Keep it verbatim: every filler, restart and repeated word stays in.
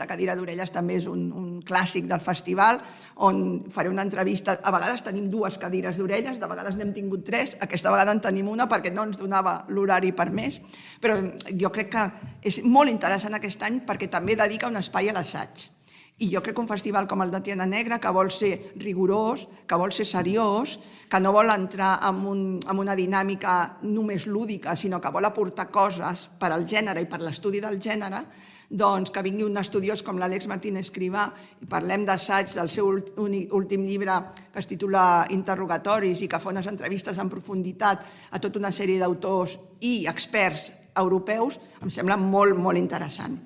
La cadira d'orelles també és un, un clàssic del festival, on faré una entrevista. A vegades tenim dues cadires d'orelles, de vegades n'hem tingut tres, aquesta vegada en tenim una perquè no ens donava l'horari per més, però jo crec que és molt interessant aquest any perquè també dedica un espai a l'assaig. I jo crec que un festival com el de Tiana Negra, que vol ser rigorós, que vol ser seriós, que no vol entrar en, un, en una dinàmica només lúdica, sinó que vol aportar coses per al gènere i per l'estudi del gènere, doncs que vingui un estudiós com l'Àlex Martín Escrivà i parlem d'assaig del seu últim llibre que es titula Interrogatoris i que fa unes entrevistes en profunditat a tota una sèrie d'autors i experts europeus, em sembla molt, molt interessant.